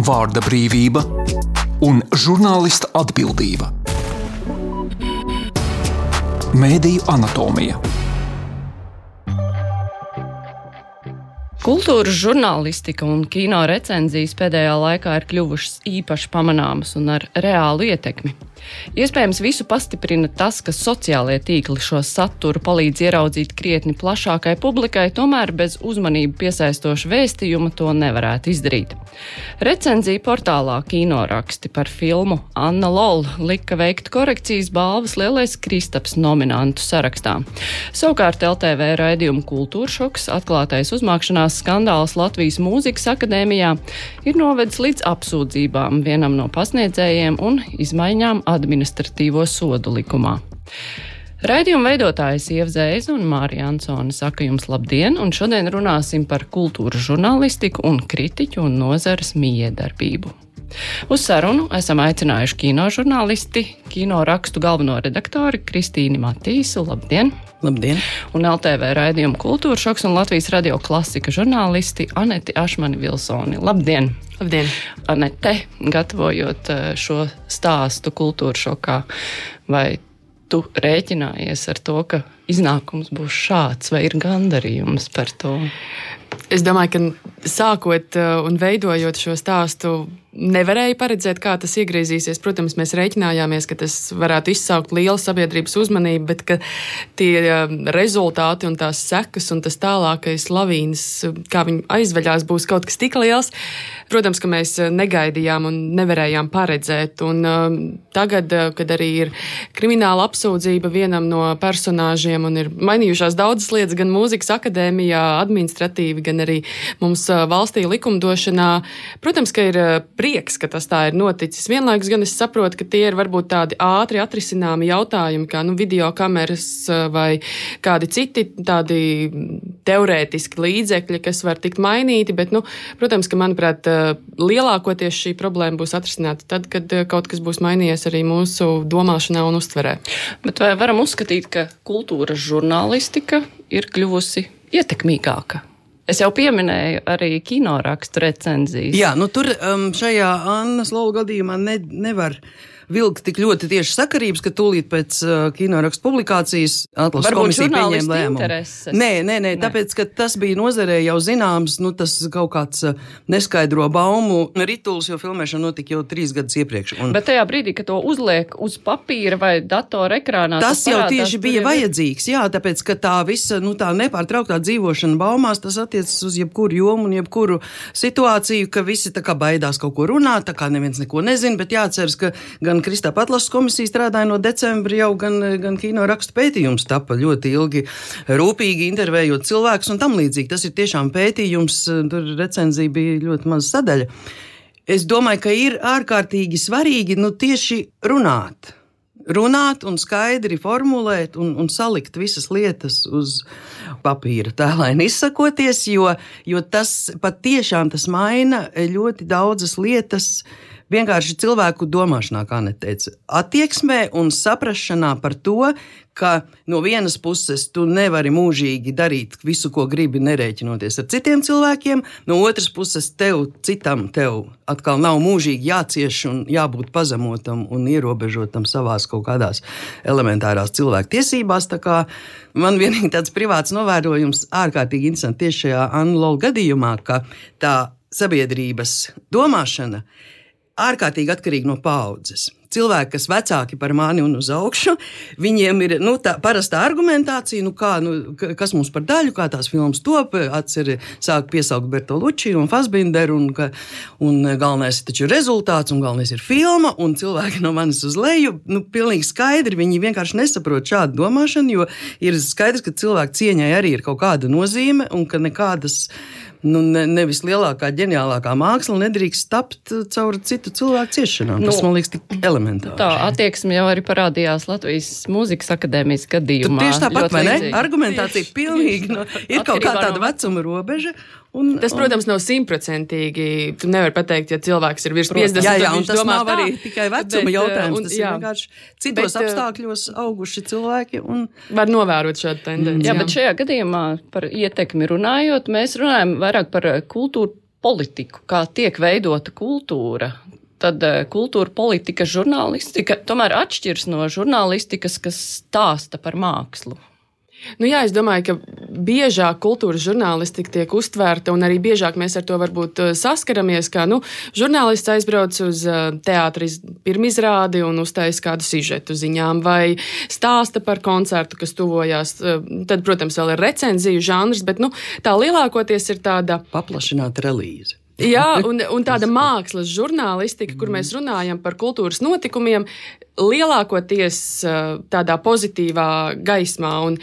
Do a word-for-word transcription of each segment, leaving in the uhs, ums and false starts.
vārda brīvība un žurnālista atbildība. Mēdīju anatomija. Kultūras žurnālistika un kino recenzijas pēdējā laikā ir kļuvušas īpaši pamanāmas un ar reālu ietekmi. Iespējams, visu pastiprina tas, ka sociālie tīkli šo saturu palīdz ieraudzīt krietni plašākai publikai, tomēr bez uzmanību piesaistoša vēstījuma to nevarētu izdarīt. Recenzija portālā Kinoraksti par filmu Anna Lol lika veikt korekcijas balvas Lielais Kristaps nominantu sarakstā. Savukārt L T V raidījuma Kultūršoks atklātais uzmākšanās skandāls Latvijas Mūzikas akadēmijā ir novedis līdz apsūdzībām vienam no pasniedzējiem un izmaiņām administratīvo sodu likumā. Raidījuma veidotājs Ieva Zēza un Mārija Ansone saka jums labdien, un šodien runāsim par kultūras žurnālistiku un kritiķu un nozares mijiedarbību. Uz sarunu esam aicinājuši kinožurnālisti, Kinorakstu galveno redaktori Kristīni Matīsu, labdien! Labdien! Un L T V raidījuma Kultūršoks un Latvijas radio klasika žurnālisti Aneti Ašmani Vilsoni. Labdien! Labdien! Anete, gatavojot šo stāstu Kultūršokā, vai tu rēķinājies ar to, ka iznākums būs šāds, vai ir gandarījums par to? Es domāju, ka sākot un veidojot šo stāstu, nevarēja paredzēt, kā tas iegriezīsies. Protams, mēs rēķinājāmies, ka tas varētu izsaukt lielu sabiedrības uzmanību, bet ka tie rezultāti un tās sekas un tas tālākais lavīns, kā viņi aizveļās, būs kaut kas tik liels. Protams, ka mēs negaidījām un nevarējām paredzēt. Un uh, tagad, uh, kad arī ir krimināla apsūdzība vienam no personāžiem un ir mainījušās daudzas lietas gan mūzikas akadēmijā, administratīvi, gan arī mums uh, valstī likumdošanā, protams, ka ir uh, prieks, ka tas tā ir noticis. Vienlaikus gan es saprotu, ka tie ir varbūt tādi ātri atrisināmi jautājumi, kā nu, video kameras uh, vai kādi citi tādi teorētiski līdzekļi, kas var tikt mainīti, bet, nu, protams, ka, manuprāt, lielākoties šī problēma būs atrisināta tad, kad kaut kas būs mainījies arī mūsu domāšanā un uztverē. Bet vai varam uzskatīt, ka kultūras žurnālistika ir kļuvusi ietekmīgāka? Es jau pieminēju arī Kinorakstu recenzijas. Jā, nu tur um, šajā Annas Lolu gadījumā ne, nevar vilkt tik ļoti tieši sakarības, ka tūlīt pēc uh, Kinorakstu publikācijas atlases komisija pieņēma lēmumu. Nē, nē, nē, tāpēc, ka tas bija nozarē jau zināms, nu tas kaut kāds uh, neskaidro baumu rituls, jo filmēšana notika jau trīs gadus iepriekš. Un bet tajā brīdī, kad to uzliek uz papīra vai datora ekrānā, tas, tas jau parādās, tieši bija vajadzīgs, jā, tāpēc, ka tā visa, nu tā nepārtrauktā dzīvošana baumās, tas attiecas uz jebkuru jomu un jebkuru situāciju, ka visi tā kā baidās kaut ko runāt, tā kā neviens neko nezina, bet jāceras, ka gan Kristapa atlases komisija strādāja no decembra jau, gan, gan Kinorakstu pētījums tapa ļoti ilgi, rūpīgi intervējot cilvēkus un tam līdzīgi. Tas ir tiešām pētījums, tur recenzija bija ļoti maza sadaļa. Es domāju, ka ir ārkārtīgi svarīgi, nu tieši runāt. Runāt un skaidri formulēt un, un salikt visas lietas uz papīra, tēlaini izsakoties, jo, jo tas pat tiešām tas maina ļoti daudzas lietas vienkārši cilvēku domāšanā, kā neteica, attieksmē un saprašanā par to, ka no vienas puses tu nevari mūžīgi darīt visu, ko gribi, nerēķinoties ar citiem cilvēkiem, no otras puses tev, citam tev atkal nav mūžīgi jācieš un jābūt pazemotam un ierobežotam savās kaut kādās elementārās cilvēku tiesībās, tā kā man vienīgi tāds privāts novērojums ārkārtīgi interesanti tieši šajā Anna Lolu gadījumā, ka tā sabiedrības domāšana ārkārtīgi atkarīgi no paaudzes. Cilvēki, kas vecāki par mani un uz augšu, viņiem ir nu, tā parastā argumentācija, nu, kā, nu, kas mums par daļu, kā tās filmas top, atceri sāk piesaukt Bertolucci un Fassbinderu, un, ka, un galvenais ir taču rezultāts, un galvenais ir filma, un cilvēki no manis uz leju, nu, pilnīgi skaidri, viņi vienkārši nesaprot šādu domāšanu, jo ir skaidrs, ka cilvēku cieņai arī ir kaut kāda nozīme, un ka nekādas nu, ne, nevis lielākā, ģeniālākā māksla nedrīkst tapt caur citu cilvēku ciešanām. Tas, nu, man liekas, tik elementāri. Tā attieksme jau arī parādījās Latvijas Mūzikas akadēmijas gadījumā. Tur tieši tāpat, vai ne? Argumentācija tieši, pilnīgi, no, ir kaut kā tāda vecuma robeža. Un, tas, protams, nav simtprocentīgi. Tu nevari pateikt, ja cilvēks ir virs piecdesmit, jā, jā, un tas domā nav tā, arī tikai vecuma bet, jautājums. Un, tas jā, ir vienkārši citos bet, apstākļos auguši cilvēki. Un var novērot šādu tendenci. Jā, jā, bet šajā gadījumā par ietekmi runājot, mēs runājam vairāk par kultūru politiku, kā tiek veidota kultūra, tad kultūra, politika, žurnālistika tomēr atšķiras no žurnālistikas, kas stāsta par mākslu. Nu jā, es domāju, ka biežāk kultūras žurnālistika tiek uztvērta, un arī biežāk mēs ar to varbūt saskaramies, kā nu, žurnālists aizbrauc uz teātra pirmizrādi un uztais kādu sižetu ziņām, vai stāsta par koncertu, kas tuvojās. Tad, protams, vēl ir recenziju žanrs, bet nu, tā lielākoties ir tāda paplašināta relīze. Jā, un, un tāda mākslas žurnālistika, kur mēs runājam par kultūras notikumiem, lielākoties tādā pozitīvā gaismā. Un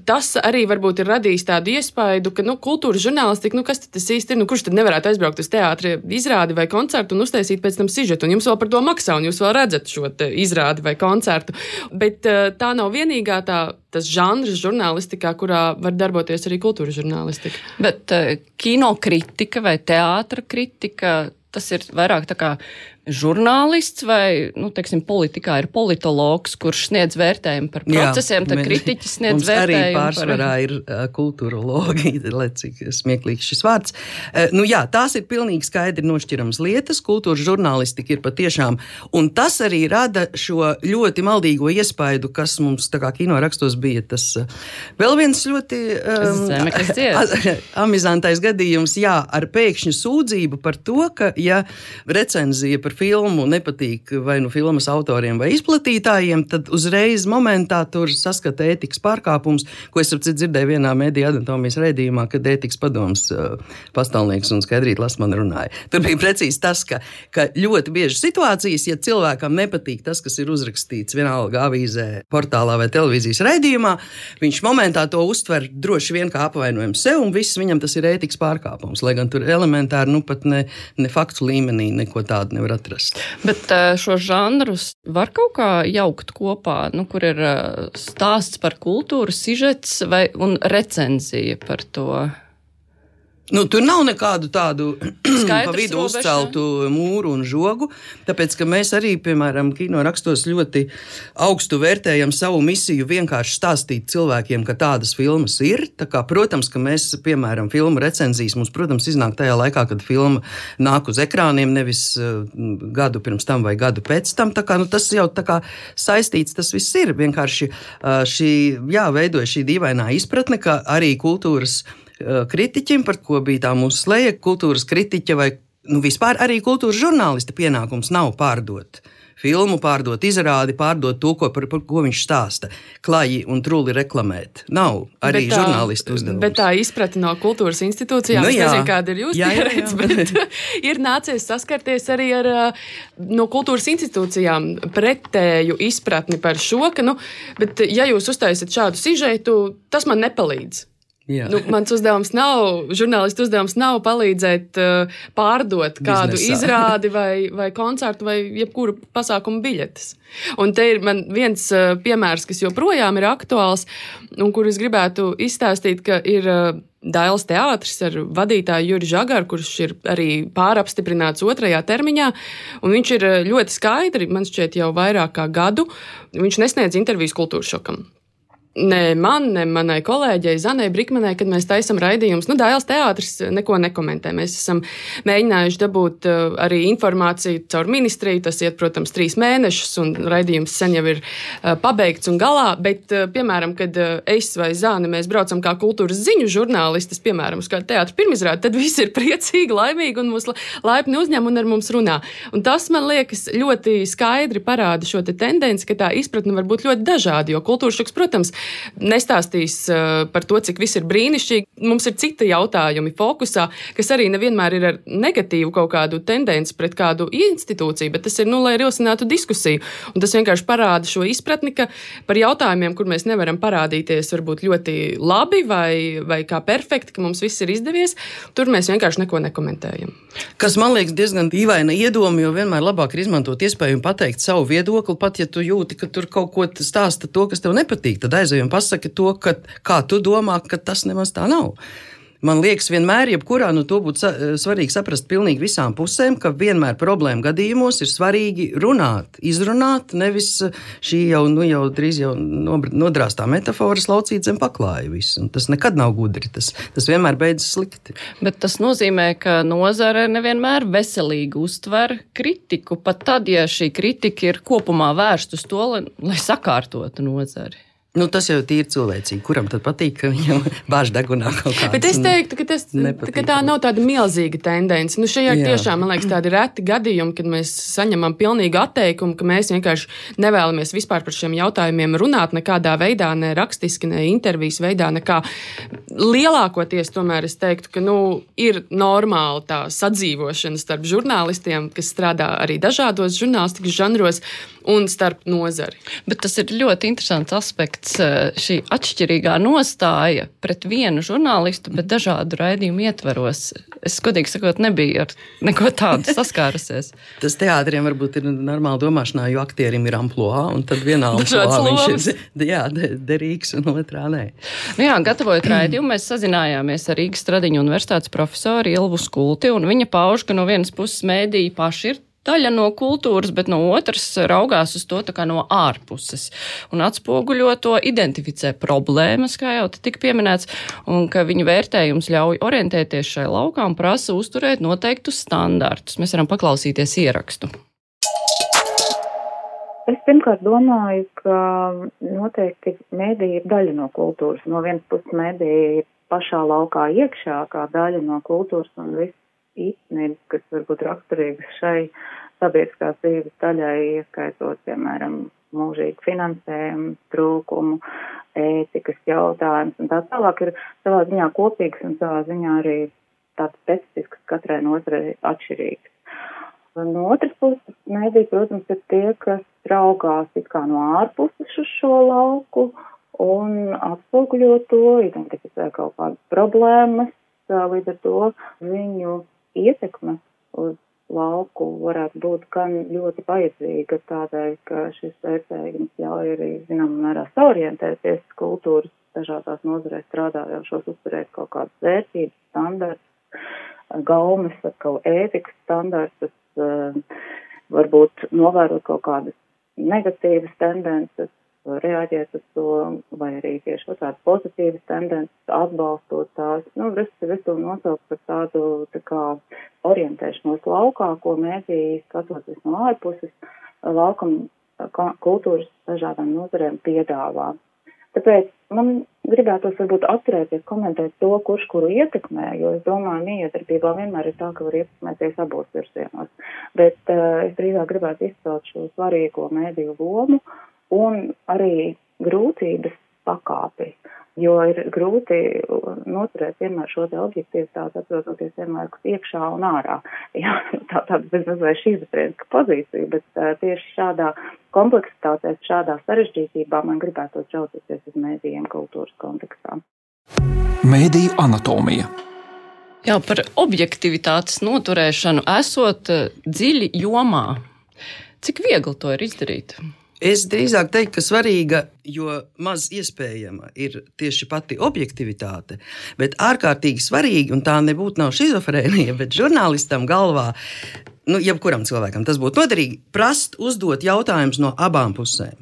tas arī varbūt ir radījis tādu iespaidu, ka nu, kultūras žurnālistika, nu kas tad tas īsti ir? Nu, kurš tad nevarētu aizbraukt uz teātra izrādi vai koncertu un uztaisīt pēc tam sižetu? Un jums vēl par to maksā, un jūs vēl redzat šo izrādi vai koncertu. Bet tā nav vienīgā tā, tas žanrs žurnālistikā, kurā var darboties arī kultūras žurnālistika. Bet kino kritika vai teātra kritika, tas ir vairāk tā kā žurnālists vai, nu, teiksim, politikā ir politologs, kurš sniedz vērtējumu par procesiem, tad kritiķis sniedz mums vērtējumu arī pārsvarā par... ir uh, kultūrologi, lai cik smieklīgs šis vārds. Uh, nu jā, tās ir pilnīgi skaidri nošķirams lietas, kultūras žurnālistika ir patiešām, un tas arī rada šo ļoti maldīgo iespaidu, kas mums tā kā kino rakstos bija tas uh, vēl viens ļoti um, Zemeklis dzieds. amizantais gadījums, jā, ar pēkšņu sūdzību par to, ka, ja recenzija par filmu nepatīk vai nu filmas autoriem vai izplatītājiem, tad uzreiz momentā tur saskata ētikas pārkāpums, ko es apcīt dzirdēju vienā mediju anatomijas raidījumā, kad ētikas padoms uh, pastāvnieks un Skaidrīta Lasmana runāja. Tur bija precīzi tas, ka, ka ļoti bieži situācijas, ja cilvēkam nepatīk tas, kas ir uzrakstīts vienalga avīzē, portālā vai televīzijas raidījumā, viņš momentā to uztver droši vien kā apvainojumu sev, un viss viņam tas ir ētikas pārkāpums, lai gan tur elementāri, nu pat ne, ne faktu līmenī neko tādu nevar atrast. Bet šo žanrus var kaut kā jaukt kopā, nu, kur ir stāsts par kultūru, sižets vai, un recenzija par to? Nu, tur nav nekādu tādu Skaidrs pa vidu robeža. uzceltu mūru un žogu, tāpēc, ka mēs arī, piemēram, kino rakstos ļoti augstu vērtējam savu misiju vienkārši stāstīt cilvēkiem, ka tādas filmas ir. Tā kā, protams, ka mēs, piemēram, filmu recenzijas mums, protams, iznāk tajā laikā, kad filma nāk uz ekrāniem, nevis uh, gadu pirms tam vai gadu pēc tam. Tā kā, nu, tas jau tā kā saistīts, tas viss ir. Vienkārši uh, šī, jā, veidoja šī dīvainā izpratne, ka arī kultūras kritiķim, par ko bija tā mūsu sleja, kultūras kritiķa vai nu, vispār arī kultūras žurnālista pienākums nav pārdot filmu, pārdot izrādi, pārdot to, ko, par, par ko viņš stāsta. Klaji un truli reklamēt. Nav arī bet tā, žurnālistu uzdevums. Bet tā izprate no kultūras institūcijām, nu, es nezinu, kāda ir jūsu pieredze, bet ir nācies saskarties arī ar no kultūras institūcijām pretēju izpratni par šo, ka, nu, bet ja jūs uztaisat šādu sižetu, tas man nepalīdz. Nu, mans uzdevums nav, žurnālistu uzdevums nav palīdzēt uh, pārdot kādu Biznesā. izrādi vai, vai koncertu vai jebkuru pasākumu biļetes. Un te ir man viens uh, piemērs, kas joprojām ir aktuāls un kur es gribētu izstāstīt, ka ir uh, Dailes teātris ar vadītāju Juri Žagaru, kurš ir arī pārapstiprināts otrajā termiņā, un viņš ir ļoti skaidri, man šķiet jau vairāk kā gadu, viņš nesniedz intervijas Kultūras šokam. Ne man, ne manai kolēģei Zanai Brikmanai, kad mēs taisam raidījumus. Nu, Dailes teātris neko nekomentē. Mēs esam mēģinājuši dabūt uh, arī informāciju caur ministriju. Tas iet, protams, trīs mēnešus, un raidījums sen jau ir uh, pabeigts un galā. Bet, uh, piemēram, kad uh, es vai Zāne mēs braucam kā kultūras ziņu žurnālistis, piemēram, uz kādu teātra pirmizrādi, tad visi ir priecīgi, laimīgi un mūs laipni uzņem un ar mums runā. Un tas, man liekas, ļoti skaidri parāda šo te tendenci, ka tā izpratne var būt ļoti dažāda, jo kultūras šoks, protams, nestāstīs uh, par to, cik viss ir brīnišķīgi. Mums ir citi jautājumi fokusā, kas arī nevienmēr ir ar negatīvu kaut kādu tendenci pret kādu institūciju, bet tas ir, nu, lai rosinātu diskusiju. Un tas vienkārši parāda šo izpratni, ka par jautājumiem, kur mēs nevaram parādīties varbūt ļoti labi vai, vai kā perfekti, ka mums viss ir izdevies, tur mēs vienkārši neko nekomentējam. Kas man liekas diezgan dīvaina iedoma, jo vienmēr labāk ir izmantot iespēju un pateikt savu viedokli, pat ja tu jūti, ka tur kaut ko stāsta to, kas tev nepatīk, tad aizej un pasaki to, ka, kā tu domā, ka tas nemaz tā nav. Man liekas, vienmēr, jebkurā, nu to būtu sa svarīgi saprast pilnīgi visām pusēm, ka vienmēr problēma gadījumos ir svarīgi runāt, izrunāt, nevis šī jau, nu jau drīz jau nodrāstā metafora laucīt zem paklāja visu. Un tas nekad nav gudri, tas, tas vienmēr beidzas slikti. Bet tas nozīmē, ka nozare nevienmēr veselīgi uztver kritiku, pat tad, ja šī kritika ir kopumā vērsta uz to, lai, lai sakārtotu nozari. Nu, tas jau ir cilvēcīgi. Kuram tad patīk, ka viņam bāž degunā kaut kāds? Bet es teiktu, ka, tas, ka tā nav tāda milzīga tendence. Nu, šajā ir tiešām, man liekas, tādi reti gadījumi, kad mēs saņemam pilnīgu atteikumu, ka mēs vienkārši nevēlamies vispār par šiem jautājumiem runāt nekādā veidā, ne rakstiski, ne intervijas veidā, nekā. Lielākoties tomēr es teiktu, ka nu, ir normāli tā sadzīvošana starp žurnālistiem, kas strādā arī dažādos žurnālistikas žanros, un starp nozari. Bet tas ir ļoti interesants aspekts, šī atšķirīgā nostāja pret vienu žurnālistu, bet dažādu raidījumu ietveros. Es, godīgi sakot, nebiju ar neko tādu saskārusies. Tas teātriem varbūt ir normāli domāšanā, jo aktierim ir amploā, un tad vienā amploā viņš ir jā, derīgs un otrā nē. Nu jā, gatavojot raidījumu, mēs sazinājāmies ar Rīgas Stradiņu universitātes profesoru Ilvu Skulti, un viņa pauž, ka no vienas puses mēdīji paši ir daļa no kultūras, bet no otras raugās uz to tā kā no ārpuses un atspoguļo to, identificē problēmas, kā jau te tika pieminēts, un ka viņu vērtējums ļauj orientēties šai laukā un prasa uzturēt noteiktus standartus. Mēs varam paklausīties ierakstu. Es pirmkārt domāju, ka noteikti mēdīja ir daļa no kultūras. No vienas puses mēdīja ir pašā laukā iekšā kā daļa no kultūras un viss īstenības, kas varbūt raksturīgas šai sabiedriskās dzīves daļai, ieskaitot, piemēram, mūžīgu finansējumu, trūkumu, ētikas jautājumus un tā tālāk ir savā ziņā kopīgs un savā ziņā arī tāds specifisks katrai nozarei atšķirīgs. No otras puses, mēdī, protams, ir tie, kas raugās it kā no ārpuses uz šo lauku un atspoguļo to, identificē kaut kādas problēmas, līdz ar to viņu ietekme uz lauku varētu būt gan ļoti vajadzīga tādēļ, ka šis vērtējums ļauj arī, zinām, mērā saorientēties kultūras dažādās nozarēs strādājošos, uzturēt kaut kādas vērtības, standartus, gaumes, atkal ētikas standartus, varbūt novērot kaut kādas negatīvas tendences, reaģēt uz to, vai arī tieši tādas pozitīvas tendences, atbalstot tās, nu, visu, visu nosaukt par tādu, tā kā, orientēšanos laukā, ko mēdī skatoties no ārpuses, laukam kultūras dažādām nozarēm piedāvā. Tāpēc man gribētos varbūt atturēties komentēt to, kurš kuru ietekmē, jo es domāju, miedarbībā vienmēr ir tā, ka var ietekmēties abos virsienos. Bet uh, es drīzāk gribētu izcelt šo svarīgo mēdīju lomu, un arī grūtības pakāpi, jo ir grūti noturēt vienmēr šo te objektivitāti, atrodoties vienlaikus iekšā un ārā. Jā, tā tāda bezmaz vai šizofrēniska pozīcija, bet uh, tieši šādā kompleksitātē, šādā sarežģītībā man gribētos raucīties uz mēdījiem kultūras kontekstā. Mēdīju anatomija. Jā, par objektivitātes noturēšanu esot dziļi jomā. Cik viegli to ir izdarīt? Es drīzāk teiktu, ka svarīga, jo maz iespējama ir tieši pati objektivitāte, bet ārkārtīgi svarīgi, un tā nebūtu nav šizofrēnija, bet žurnālistam galvā, nu, jebkuram cilvēkam tas būtu noderīgi, prast uzdot jautājumus no abām pusēm.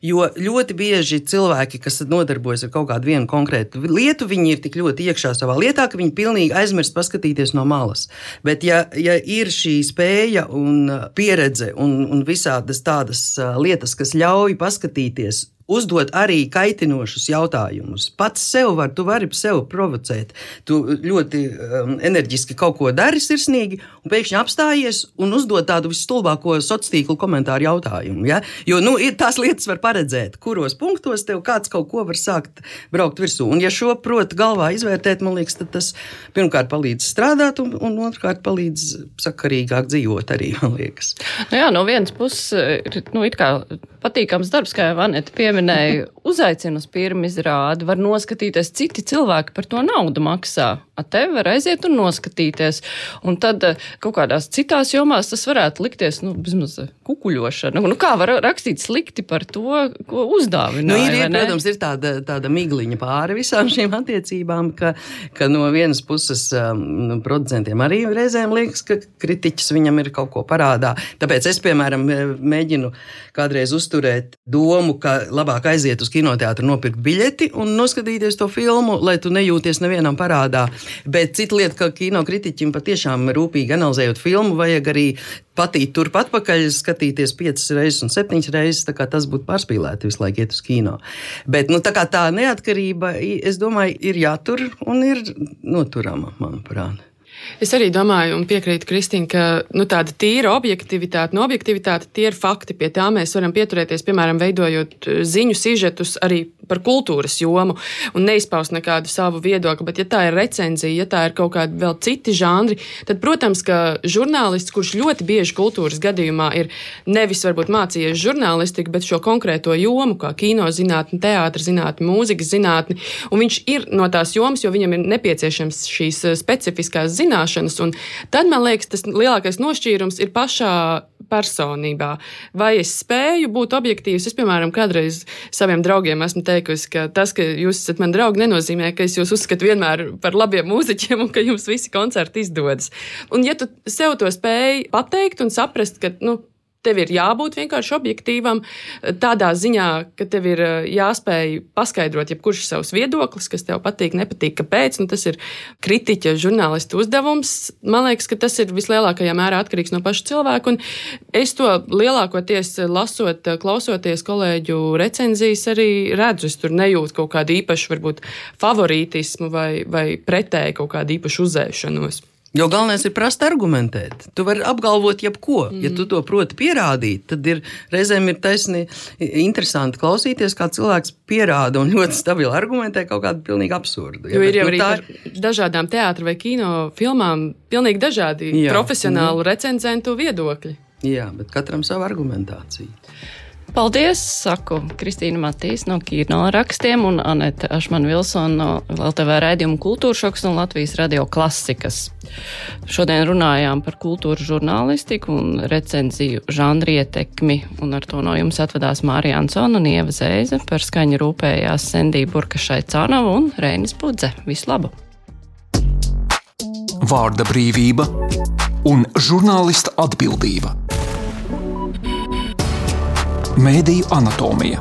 Jo ļoti bieži cilvēki, kas nodarbojas ar kaut kādu vienu konkrētu lietu, viņi ir tik ļoti iekšā savā lietā, ka viņi pilnīgi aizmirst paskatīties no malas. Bet ja, ja ir šī spēja un pieredze un, un visādas tādas lietas, kas ļauj paskatīties, uzdot arī kaitinošus jautājumus. Pats sev var, tu vari sev provocēt. Tu ļoti um, enerģiski kaut ko dari sirsnīgi un pēkšņi apstājies un uzdot tādu visstulbāko sociālo komentāru jautājumu. Ja? Jo nu, ir, tās lietas var paredzēt, kuros punktos tev kāds kaut ko var sākt braukt virsū. Un ja šo prot galvā izvērtēt, man liekas, tad tas pirmkārt palīdz strādāt un, un otrkārt palīdz sakarīgāk dzīvot arī, man liekas. Nu jā, no vienas puses ir nu, it kā patīkams darbs, kā jau Aneta pieminēja, uzaicina uz pirmizrādi, var noskatīties, citi cilvēki par to naudu maksā. te var aiziet un noskatīties. Un tad kaut kādās citās jomās tas varētu likties, nu, vismaz kukuļošana. Nu, kā var rakstīt slikti par to, ko uzdāvināja? Nu, ir, ir, protams, ir tāda, tāda migliņa pāri visām šīm attiecībām, ka, ka no vienas puses um, producentiem arī reizēm liekas, ka kritiķis viņam ir kaut ko parādā. Tāpēc es, piemēram, mēģinu kādreiz uzturēt domu, ka labāk aiziet uz kinoteātru, nopirkt biļeti un noskatīties to filmu, lai tu nejūties nevienam parādā. Bet cita lieta, ka kinokritiķim patiešām rūpīgi analizējot filmu, vajag arī patīt turp atpakaļ, skatīties piecas reizes un septiņas reizes, tā kā tas būtu pārspīlēti visu laiku iet uz kino. Bet, nu, tā kā tā neatkarība, es domāju, ir jātur un ir noturama, manuprāt. Es arī domāju un piekrītu Kristīne, ka nu, tāda tīra objektivitāte, no objektivitāte tie ir fakti, pie tā mēs varam pieturēties, piemēram, veidojot ziņu sižetus arī par kultūras jomu un neizpaust nekādu savu viedokli, bet ja tā ir recenzija, ja tā ir kaut kādi vēl citi žanri, tad, protams, ka žurnālists, kurš ļoti bieži kultūras gadījumā ir nevis varbūt mācījies žurnālistiku, bet šo konkrēto jomu, kā kino zinātni, teātra zinātni, mūzikas zinātni, un viņš ir no tās jomas, jo viņam ir nepieciešams šīs specifiskās zināšanas, un tad, man liekas, tas lielākais nošķīrums ir pašā personībā. Vai es spēju būt objektīvs? Es, piemēram, kādreiz saviem draugiem esmu teikusi, ka tas, ka jūs esat mani draugi, nenozīmē, ka es jūs uzskatu vienmēr par labiem mūziķiem un ka jums visi koncerti izdodas. Un ja tu sev to spēj pateikt un saprast, ka, nu, tev ir jābūt vienkārši objektīvam, tādā ziņā, ka tev ir jāspēj paskaidrot jebkurš savs viedoklis, kas tev patīk, nepatīk, kāpēc, nu tas ir kritiķa, žurnālistu uzdevums. Man liekas, ka tas ir vislielākajā mērā atkarīgs no paša cilvēka, un es to lielākoties lasot, klausoties kolēģu recenzijas arī redzu, es tur nejūtu kaut kādu īpašu, varbūt, favorītismu vai, vai pretēju kaut kādu īpašu uzēšanos. Jo galvenais ir prast argumentēt. Tu vari apgalvot jebko. Mm. Ja tu to proti pierādīt, tad ir reizēm ir taisni interesanti klausīties, kā cilvēks pierāda un ļoti stabili argumentē kaut kādu pilnīgi absurdu. Jo ja, ir jau nu, arī par ir... dažādām teātra vai kino filmām pilnīgi dažādi jā. Profesionālu mm. recenzentu viedokļi. Jā, bet katram savu argumentāciju. Paldies, saku Kristīna Matīs no Kino rakstiem un Anete Ašmana-Vilsona no L T V raidījuma Kultūra šoks un Latvijas radio klasikas. Šodien runājām par kultūras žurnālistiku un recenziju žanri ietekmi, un ar to no jums atvedās Mārija Ansona un Ieva Zēze, par skaņu rūpējās Sendija Burkašai-Canova un Reinis Budze. Visu labu! Vārda brīvība un žurnālista atbildība. Mēdīju anatomija.